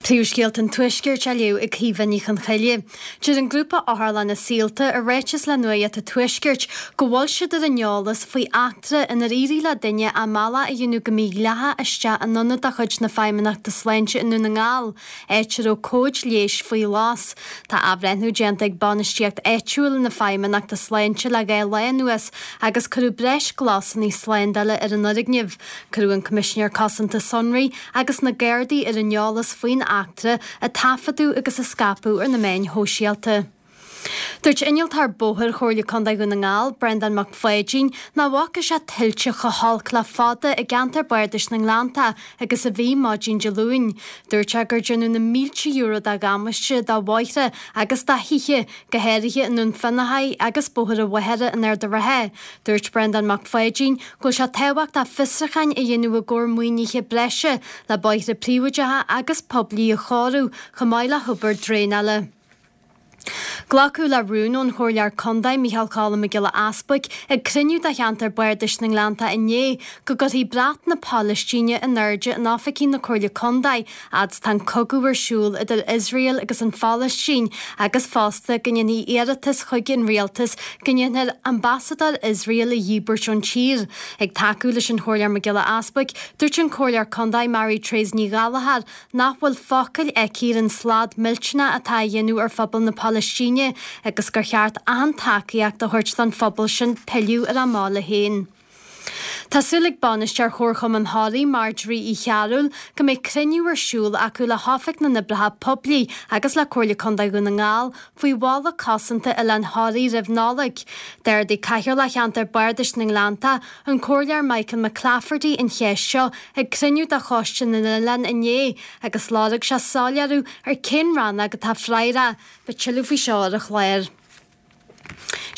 Príomhscéalta an Tuaiscirt á léamh ag Caoimhe Ní Chonchoille. Deir an grúpa Otharlanna Saolta i ráiteas le Nuacht an Tuaiscirt go bhfuil siad ar an eolas faoi eachtra inar éirigh le duine a mbealach a dhéanamh go mídhleathach isteach in ionad de chuid na Feidhmeannachta Sláinte i nDún na nGall, áit a raibh comhaid leighis faoi ghlas. Tá athbhreithniú déanta ag bainistíocht áitiúil na Feidhmeannachta Sláinte le 2 lá anuas agus cuireadh breis glasanna slándála ar an fhoirgneamh. Cuireadh an Coimisinéir Cosanta Sonraí agus na Gardaí ar an eolas faoin eachtra a taifeadadh agus a scaipeadh ar na meáin shóisialta. Dúirt Innealtóir Bóthair Chomhairle Contae Dhún na nGall, Breandán Mac Pháidín, nach bhfaca sé tuilte chomh holc le fada i gceantar Bardais na nGleanntach agus a bhí maidin Dé Luain. Dúirt sé gur déanadh na mílte euro de dhamáiste do bhóithre agus do thithe, go háirithe i nDún Fionnachaidh agus Bóthar an Mhachaire in Ard an Rátha. Dúirt Breandán Mac Pháidín go bhfuil sé tábhachtach fiosrúcháin a dhéanamh i gcomhair maoinithe breise le bóithre príobháideacha agus poiblí a chóiriú chomh maith le hobair draenála. Glacadh le rún ón Chomhairleoir Contae Micheál Choilm Mac Giolla Easbuic ag cruinniú de cheantar Bardais na nGleanntach inné go gcuirfí brat na Palaistíne in airde in oifigí na Comhairle Contae fhad is tá an cogadh ar siúl idir Iosrael agus an Phalaistín agus fosta go ndéanfaí iarratas chuig an rialtas go ndéanfar ambasadóir Iosrael a dhíbirt ón tír. Ag tacú leis an Chomhairleoir Mac Giolla Easbuic, dúirt an Comhairleoir Contae Mary Therese Ní Ghallchóir nach bhfuil focail aici ar an slad millteanach atá á dhéanamh ar phobal na Palaistíne agus gur cheart achan tacaíocht a thabhairt don phobal sin pilleadh ar a mbaile féin. Tá súil ag bainisteoir Chomharchumann Thoraí, Marjorie Uí Chearúil, go mbeidh cruinniú ar siúl acu le hOifig na nOibreacha Poiblí agus le Comhairle Contae Dhún na nGall faoi bhalla cosanta Oileán Thoraí roimh Nollaig. D'ardaigh Cathaoirleach Cheantar Bardais na nGleanntach, an Comhairleoir Michael McClafferty an cheist seo ag cruinniú de Choiste na nOileán inné agus lorg sé soiléiriú ar cén rannóg atá freagrach. Beidh tuilleadh faoi seo ar an chlár.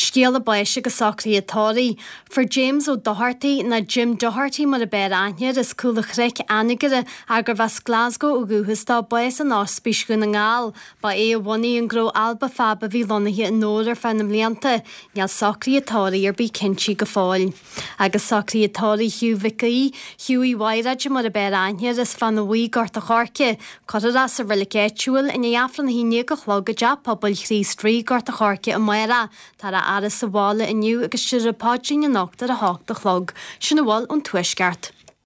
Scéala báis agus socruithe tórraimh. Fuair James Ó Dochartaigh, nó Jim Doherty mar a b'fhearr aithne air, as Cúl a' Chnoic, Anagaire, ach gurbh as Glasgow ó dhúchas dó, bás in Ospís Dhún na nGall. Ba é a bhunaigh an gnó Alba Fab a bhí lonnaithe i nDobhar ar feadh na mblianta. Níl socruithe tórraimh ar bith cinntí go fóill. Agus socruithe tórraimh Hugh Mhic Aoidh, Hugh Uí Mhaighréide mar a b'fhearr aithne air, as Fána Bhuí, Gort a' Choirce. Cuirfear é sa reilig áitiúil i ndiaidh Aifreann a 11 a chlog i dTeach Pobail Chríost Rí, Gort a' Choirce amárach. Táthar á fhaire sa bhaile inniu agus déarfar an paidrín anocht ar a hocht a chlog. Sin a bhfuil ón Tuaisceart.